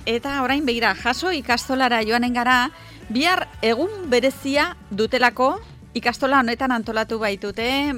eta orain begira, jaso ikastolara joanen gara, bihar egun berezia dutelako, ikastola honetan antolatu baitute,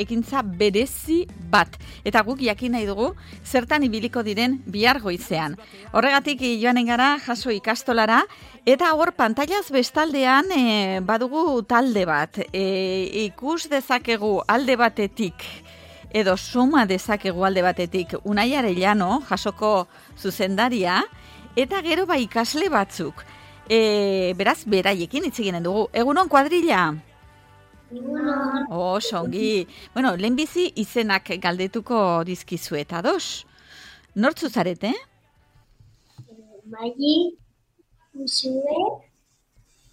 ekintza berezi bat. Eta guk jakin nahi dugu, zertan ibiliko diren bihar goizean. Horregatik joanen gara, jaso ikastolara, eta hor pantailaz bestaldean badugu talde bat. Ikus dezakegu alde batetik, edo suma dezakegu alde batetik, Unai Arellano, jasoko zuzendaria, eta gero ikasle batzuk. Beraz, beraiekin hitz eginen dugu. Egunon, kuadrilla? Egunon. Songi. Bueno, lehenbizi izenak galdetuko dizkizuet, ados? Nortzu zarete? Magi, Usue,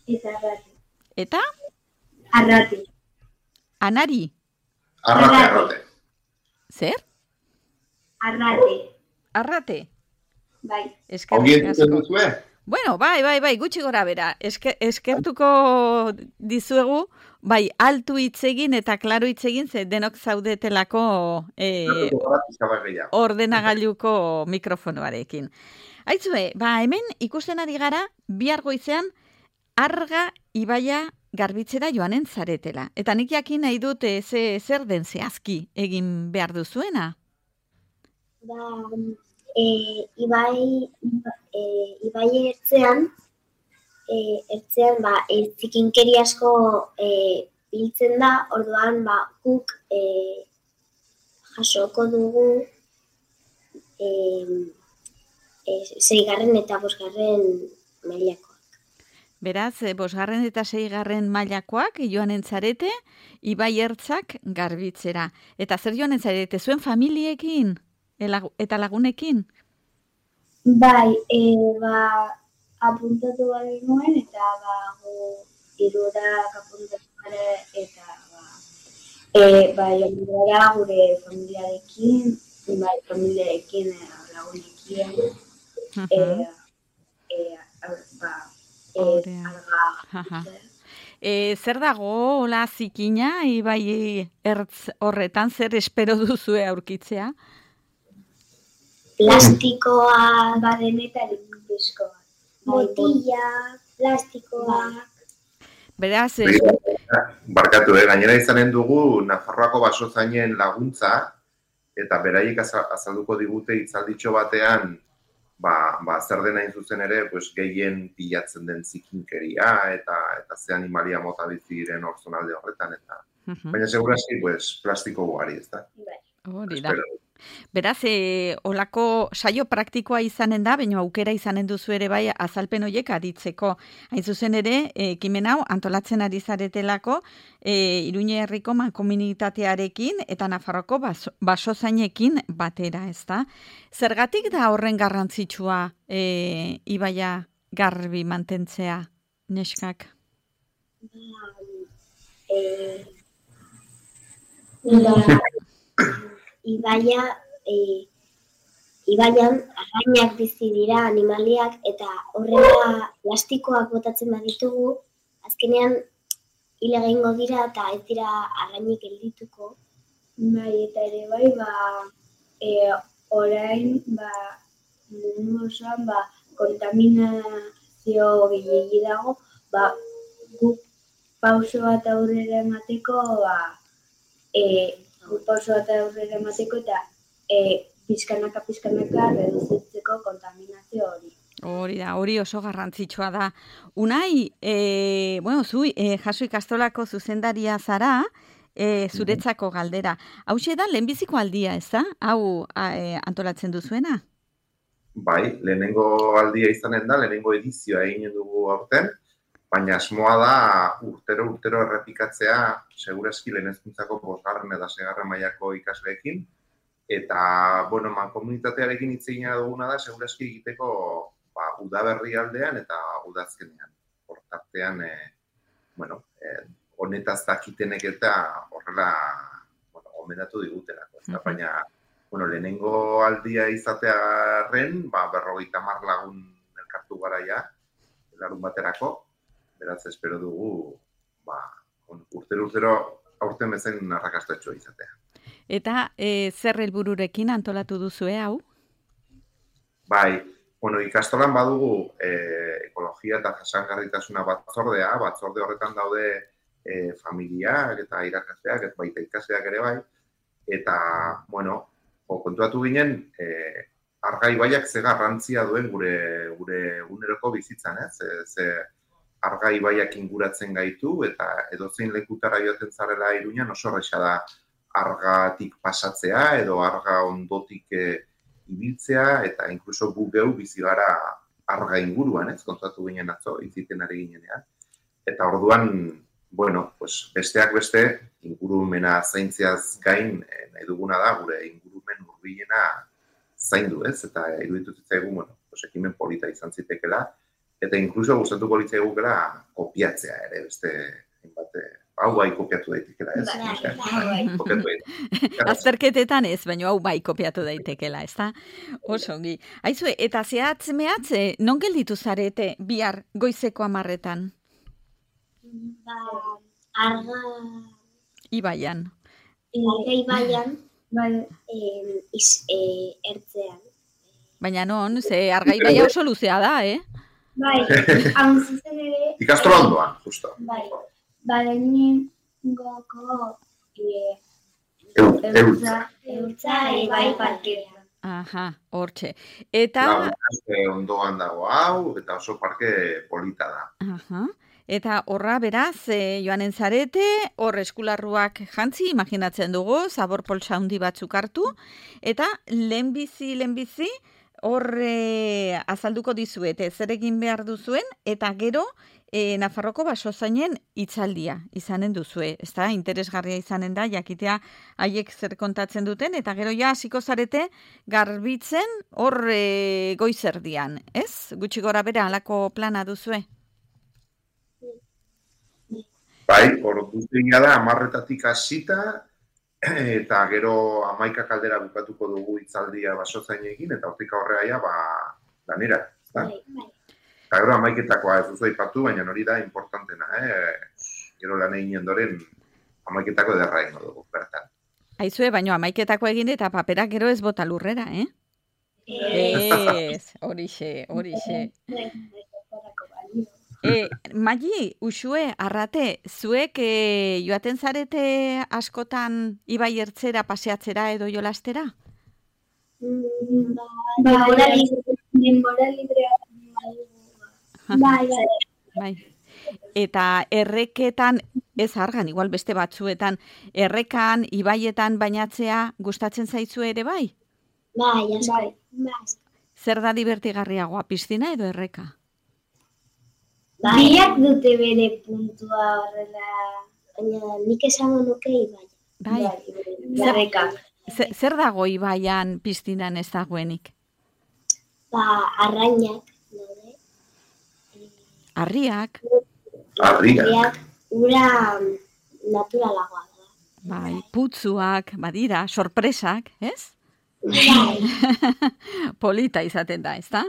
eta Arrate. Eta? Arrate. Anari? Arrate. Zer? Arrate. Arrate? Bai. Ongi entzuten duzue? Bueno, bai, gutxi gora bera. Eskertuko dizuegu, altu hitz egin eta klaro hitz egin, ze denok zaudetelako ordenagailuko mikrofonoarekin. Aitzue, hemen ikusten ari gara, bihar goizean, Arga ibaia garbitzera joanen zaretela. Eta nik jakin nahi dut zer den zehazki egin behar duzuena? Ibai ertzean zikinkeri asko biltzen da, orduan guk jasoko dugu 6. eta 5. mailakoak. Beraz, 5. eta 6. mailakoak joanen zarete, ibai ertzak garbitzera. Eta zer joanen zarete, zuen familiekin eta lagunekin? Bai, apuntatu bari nuen, eta irurak apuntatu bari, eta joan gara gure familiarekin, lagunekin, zer dago, hola zikina, ibai ertz horretan, zer espero duzue aurkitzea? Plastikoa badenetan pizkoa. Botilla, plastikoa. Beraz, barkatu, gainera izanen dugu Nafarroako basozainen laguntza, eta beraiek azalduko digute hitzalditxo batean, zer dena zuzen ere, gehien pilatzen den zikinkeria, eta ze animalia mota bizi diren hor zonalde horretan, eta baina segurazki, plastiko ugari, ez da? Hori da. Beraz, olako saio praktikoa izanen da, baina aukera izanen duzu ere azalpen horiek aditzeko. Hain zuzen ere, ekimen hau antolatzen ari zaretelako Iruñe herriko mankomunitatearekin eta Nafarroko basozainekin batera, ez da? Zergatik da horren garrantzitsua ibaia garbi mantentzea, neskak? Ibaian arrainak bizi dira, animaliak, eta horrela plastikoak botatzen baditugu, azkenean hil egingo dira eta ez dira arrainik geldituko. Eta ere orain mundu osoan kontaminazio gehiegi dago, guk pauso bat aurrera emateko eta pizkanaka reduzitzeko kontaminazio hori. Hori da, hori oso garrantzitsua da. Unai, zu jaso ikastolako zuzendaria zara, zuretzako galdera. Hauxe da, lehenbiziko aldia, ez da? Hau antolatzen duzuena? Bai, lehenengo aldia izanen da, lehenengo edizioa eginen dugu aurten, baina asmoa da urtero errepikatzea segurazki lehen hezkuntzako 5. eta 6. mailako ikasleekin, eta, mankomunitatearekin hitz egina duguna da segurazki egiteko udaberri aldean eta udazkenean. Hortartean, honetaz dakitenek eta horrela gomendatu digutelako. Baina, lehenengo aldia izatearren, 50 lagun elkartu gara ja, larun baterako, beraz espero dugu, urtero aurten bezain arrakastatxoa izatea. Eta zer helbururekin antolatu duzue hau? Bai, Bueno, ikastolan badugu ekologia eta jasangarritasuna batzorde horretan daude familiak eta irakasleak, ez baita ikasleak ere bai, eta, bueno, kontuatu ginen, Arga ibaiak ze garrantzia duen gure eguneroko bizitzan, ze Arga ibaiak inguratzen gaitu, eta edozein lekutara joaten zarela Iruñan oso erraza da Argatik pasatzea, edo Arga ondotik ibiltzea, eta inkluso gu geu bizi gara Arga inguruan, kontatu ginen atzo, iziten ari ginenean. Eta orduan, bueno, pues besteak beste, ingurumena zaintzeaz gain, nahi duguna da, gure ingurumen hurbilena zaindu, eta iruditu zitzaigun, bueno, pues ekimen polita izan zitekeela, eta inkluso gustatuko litzaigukela kopiatzea ere, beste, hau bai kopiatu daitekela, kopiatu daitekela. Azterketetan ez, baina hau bai kopiatu daitekela, ez da? Oso ongi. Aizue, eta zehatz, non gelditu zarete bihar goizeko 10:00? Arga Ibaian. ibaian, ertzean. Baina non, ze Arga ibaia oso luzea da, Bai, hau zuzen ere... Ikastola ondoan, justo. Bai, badeningoko eurtza ibai parkea. Aha, hortxe. Eta... Ondoan dago hau, eta oso parke polita da. Aha. Eta horra beraz, joanen zarete, hor eskularruak jantzi, imaginatzen dugu, zabor poltsa handi batzuk hartu, eta lehenbizi, hor azalduko dizuete, zer egin behar duzuen, eta gero Nafarroko basozainen hitzaldia izanen duzue. Ez da, interesgarria izanen da, jakitea haiek zer kontatzen duten, eta gero ja hasiko zarete garbitzen hor goizerdian, ez? Gutxi gora bera halako plana duzue? Bai, ordutegia da 10:00 hasita, eta gero 11 aldera bukatuko dugu hitzaldia basozainekin, eta hortik aurrera lanera. Eta gero 11:00 ez duzu aipatu, baina hori da importantena. Gero lan egin ondoren 11:00 ederra egingo dugu, bertan. Aizue, baina 11:00 egin eta paperak gero ez bota lurrera, Ez, horixe. Magi, Uxue, Arrate, zuek joaten zarete askotan ibai ertzera paseatzera edo jolastera? Denbora librea. Bai. Eta erreketan, ez Argan, igual beste batzuetan, errekan, ibaietan bainatzea gustatzen zaizu ere bai? Bai. Zer da divertigarriagoa, piztina edo erreka? Biak dute bere puntua horrela, baina nik esango nuke ibai. Bai. Zer dago ibaian piztinan ez dagoenik? Arrainak, daude. Arriak? Arriak. Ura naturalagoa da. Bai, putzuak, badira, sorpresak, ez? Polita izaten da, ez da?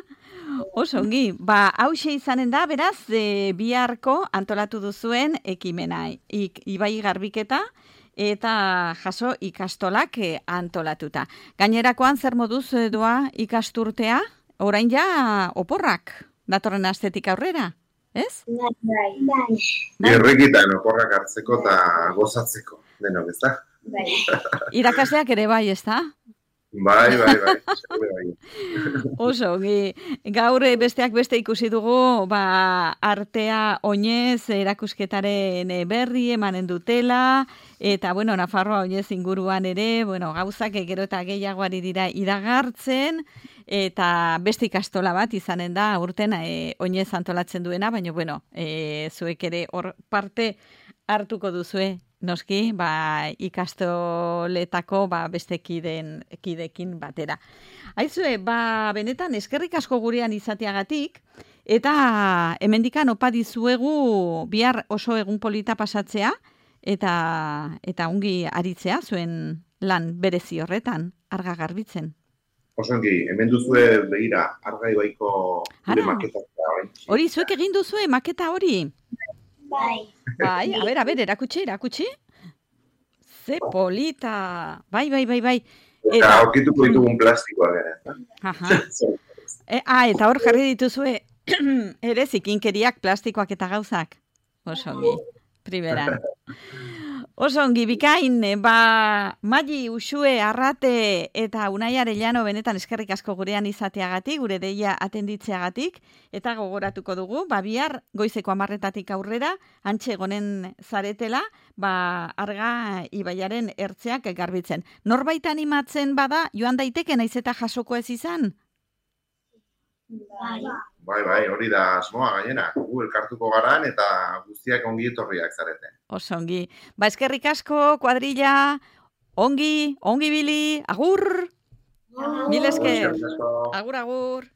Oso ongi, hauxe izanen da, beraz, biharko antolatu duzuen ekimena, ibai garbiketa eta jaso ikastolak antolatuta. Gainerakoan zer moduz doa ikasturtea, orain ja oporrak datorren astetik aurrera, ez? Bai. Errekitan oporrak hartzeko eta gozatzeko, denok, ez da? Bai. Irakasleak ere bai, ez da? Bai. Oso, gaur besteak beste ikusi dugu, artea oinez erakusketaren berri emanen dutela, eta, Nafarroa oinez inguruan ere, gauzak gero eta gehiagoari dira iragartzen, eta beste ikastola bat izanen da, urten oinez antolatzen duena, baina, zuek ere hor parte hartuko duzue, noski, ikastoletako beste kidekin batera. Aizue, benetan eskerrik asko gurean izateagatik, eta hemendikan opa dizuegu bihar oso egun polita pasatzea, eta ongi aritzea zuen lan berezi horretan, Arga garbitzen. Oso ongi, hemen duzue begira, Arga ibaiko gure maketa. Hori, zuek egin duzue maketa hori? Bai. Bai, a ber, erakutsi. Ze polita. Bai. Eta aurkituko ditugun plastikoa gara. Eta hor jarri dituzue ere zikinkeriak, plastikoak eta gauzak. Osongi, primeran. Osongi, bikain, Mali, Uxue, Arrate eta Unai Arellano benetan eskerrik asko gurean izateagatik, gure deia atenditzeagatik, eta gogoratuko dugu, bihar goizeko 10:00 aurrera, antxe egonen zaretela, Arga ibaiaren ertzeak garbitzen. Norbait animatzen bada, joan daiteke naiz eta jasoko ez izan? Bai, hori da asmoa gainera. Gu elkartuko garan eta guztiak ongi etorriak zarete. Osongi. Eskerrik asko, kuadrilla, ongi bili, agur! Mil esker. Agur.